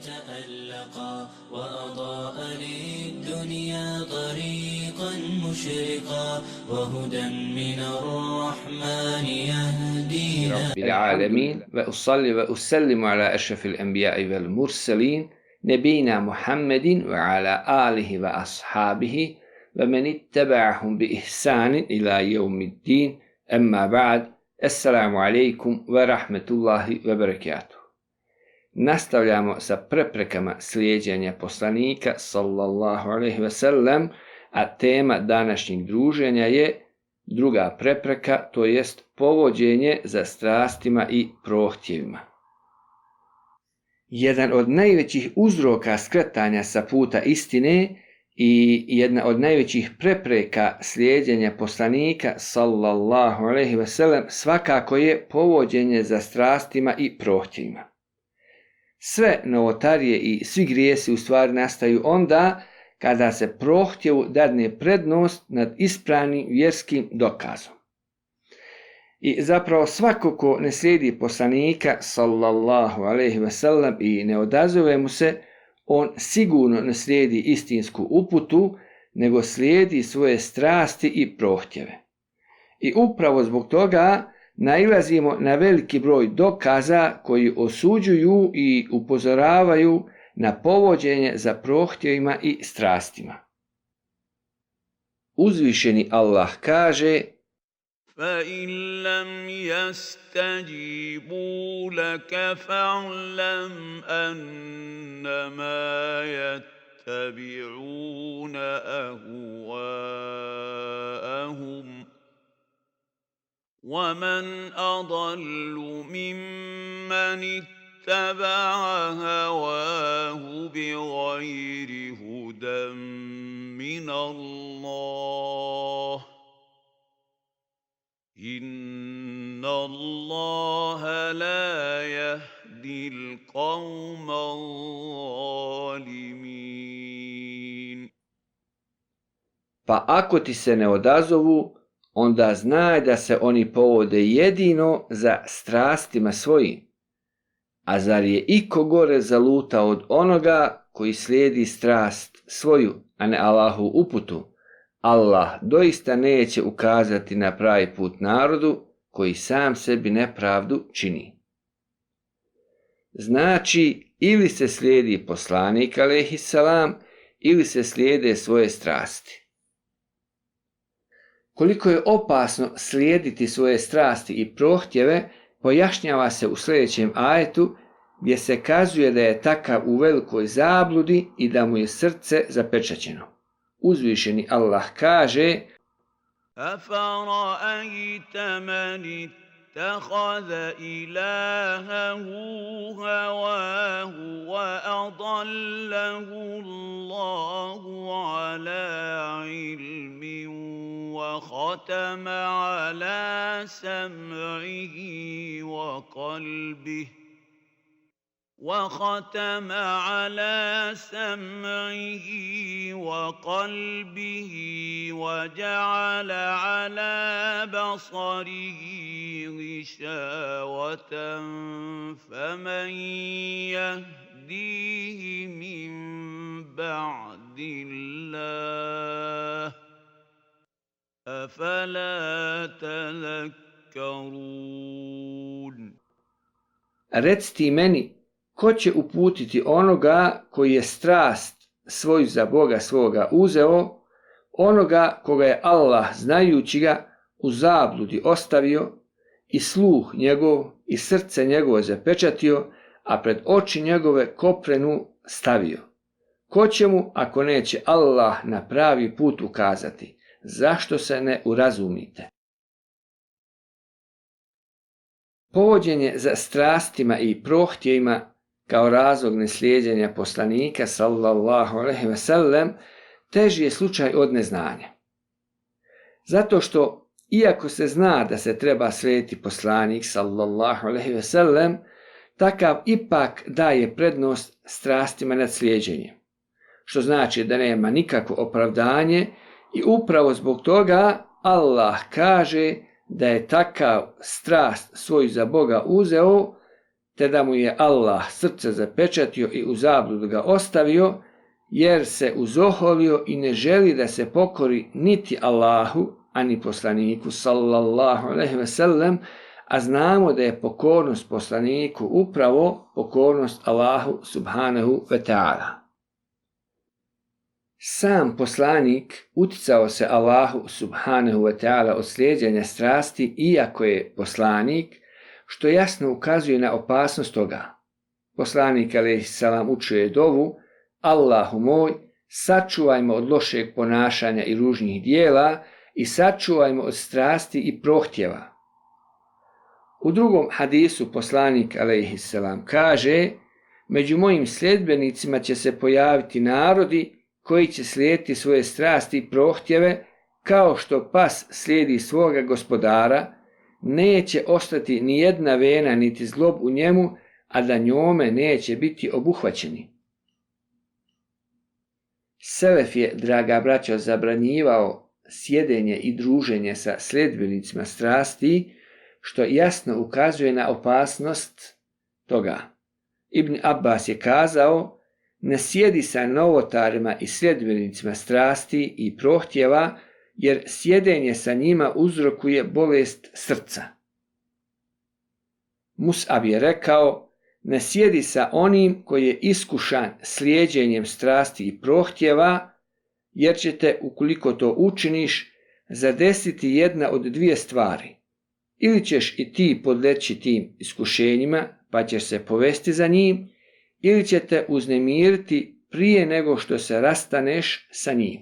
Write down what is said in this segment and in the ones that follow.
تألقا وأضاء للدنيا طريقا مشرقا وهدى من الرحمن يهدينا رب العالمين وأصلي وأسلم على أشرف الأنبياء والمرسلين نبينا محمد وعلى آله وأصحابه ومن اتبعهم بإحسان إلى يوم الدين أما بعد السلام عليكم ورحمة الله وبركاته. Nastavljamo sa preprekama slijeđenja poslanika sallallahu alejhi ve sellem, a tema današnjeg druženja je druga prepreka, to jest povođenje za strastima i prohtjevima. Jedan od najvećih uzroka skretanja sa puta istine i jedna od najvećih prepreka slijeđenja poslanika sallallahu alejhi ve sellem svakako je povođenje za strastima i prohtjevima. Sve novotarije i svi grijesi u stvari nastaju onda kada se prohtjevu dadne prednost nad ispravnim vjerskim dokazom. I zapravo svako ko ne slijedi poslanika sallallahu alejhi ve sellem i ne odazove mu se, on sigurno ne slijedi istinsku uputu, nego slijedi svoje strasti i prohtjeve. I upravo zbog toga nailazimo na veliki broj dokaza koji osuđuju i upozoravaju na povođenje za prohtjevima i strastima. Uzvišeni Allah kaže: فَإِنْ لَمْ يَسْتَجِيبُوا لَكَ فَاعْلَمْ أَنَّمَا يَتَّبِعُونَ أَهْوَاءَهُمْ وَمَنْ أَضَلُّ مِمَّنِ اتَّبَعَ هَوَاهُ بِغَيْرِ هُدًى مِنَ اللَّهِ إِنَّ اللَّهَ لَا يَهْدِي الْقَوْمَ الظَّالِمِينَ. Pa ako ti se ne odazovu, onda znaj da se oni povode jedino za strastima svojim. A zar je iko gore zalutao od onoga koji slijedi strast svoju, a ne Allahu uputu? Allah doista neće ukazati na pravi put narodu koji sam sebi nepravdu čini. Znači, ili se slijedi poslanik alejhisselam, ili se slijede svoje strasti. Koliko je opasno slijediti svoje strasti i prohtjeve, pojašnjava se u sljedećem ajetu, gdje se kazuje da je takav u velikoj zabludi i da mu je srce zapečaćeno. Uzvišeni Allah kaže: أَفَرَأَيْتَ مَنِ اتَّخَذَ إِلَٰهَهُ هَوَاهُ وَأَضَلَّهُ اللَّهُ عَلَىٰ عِلْمٍ وَخَتَمَ عَلَىٰ سَمْعِهِ وقلبه وجعل على بصره غشاوة فمن يهديه من بعد الله أفلا تذكرون. Reci ti meni, ko će uputiti onoga koji je strast svoju za Boga svoga uzeo, onoga koga je Allah znajući ga u zabludi ostavio i sluh njegov i srce njegovo zapečatio, a pred oči njegove koprenu stavio? Ko će mu ako neće Allah na pravi put ukazati? Zašto se ne urazumite? Povođenje za strastima i prohtjevima kao razlog neslijeđenja poslanika sallallahu alejhi ve sellem teži je slučaj od neznanja. Zato što iako se zna da se treba slijediti poslanik sallallahu alejhi ve sellem, takav ipak daje prednost strastima nad slijeđenjem, što znači da nema nikakvo opravdanje i upravo zbog toga Allah kaže da je takav strast svoju za Boga uzeo te da mu je Allah srce zapečatio i u zabludu ga ostavio, jer se uzoholio i ne želi da se pokori niti Allahu, ani poslaniku sallallahu alejhi ve sellem, a znamo da je pokornost poslaniku upravo pokornost Allahu subhanahu wa ta'ala. Sam poslanik uticao se Allahu subhanahu wa ta'ala od slijeđenja strasti, iako je poslanik, što jasno ukazuje na opasnost toga. Poslanik alejhisselam učio je dovu: Allahu moj, sačuvajmo od lošeg ponašanja i ružnih dijela i sačuvajmo od strasti i prohtjeva. U drugom hadisu poslanik alejhisselam kaže: među mojim sljedbenicima će se pojaviti narodi koji će slijediti svoje strasti i prohtjeve kao što pas slijedi svoga gospodara, neće ostati ni jedna vena niti zlob u njemu, a da njome neće biti obuhvaćeni. Selef je, draga braćo, zabranjivao sjedenje i druženje sa sljedbenicima strasti, što jasno ukazuje na opasnost toga. Ibn Abbas je kazao: ne sjedi sa novotarima i sljedbenicima strasti i prohtjeva, jer sjedenje sa njima uzrokuje bolest srca. Mus'ab je rekao: ne sjedi sa onim koji je iskušan slijeđenjem strasti i prohtjeva, jer će te, ukoliko to učiniš, zadesiti jedna od dvije stvari. Ili ćeš i ti podleći tim iskušenjima, pa ćeš se povesti za njim, ili će te uznemiriti prije nego što se rastaneš sa njim.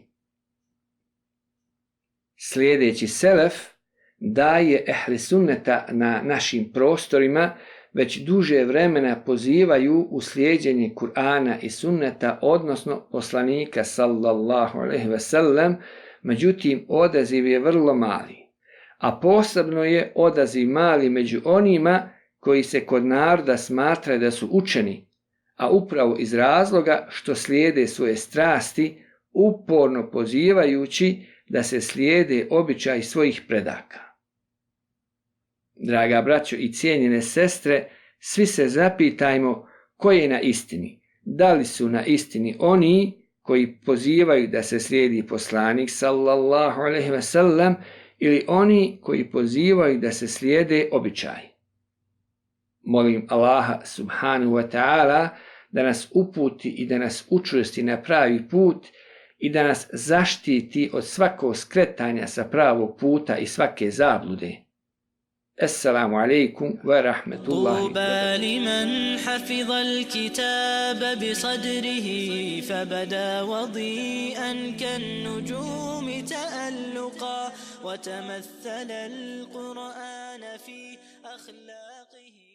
Sljedeći selef daje ehli sunneta na našim prostorima već duže vremena pozivaju u slijeđenje Kur'ana i sunneta, odnosno poslanika sallallahu alejhi ve sellem, međutim odaziv je vrlo mali. A posebno je odaziv mali među onima koji se kod naroda smatraju da su učeni, a upravo iz razloga što slijede svoje strasti, uporno pozivajući da se slijede običaj svojih predaka. Draga braćo i cijenjene sestre, svi se zapitajmo ko je na istini. Da li su na istini oni koji pozivaju da se slijedi poslanik sallallahu alejhi ve sellem, ili oni koji pozivaju da se slijede običaj. Molim Allaha subhanahu wa ta'ala da nas uputi i da nas učvrsti na pravi put i da nas zaštiti od svakog skretanja sa pravog puta i svake zablude. Assalamu alaikum wa rahmatullahi wa barakatuh. لمن حفظ الكتاب بصدره فبدا وضيئا كالنجوم تألقا وتمثل القرآن في أخلاقه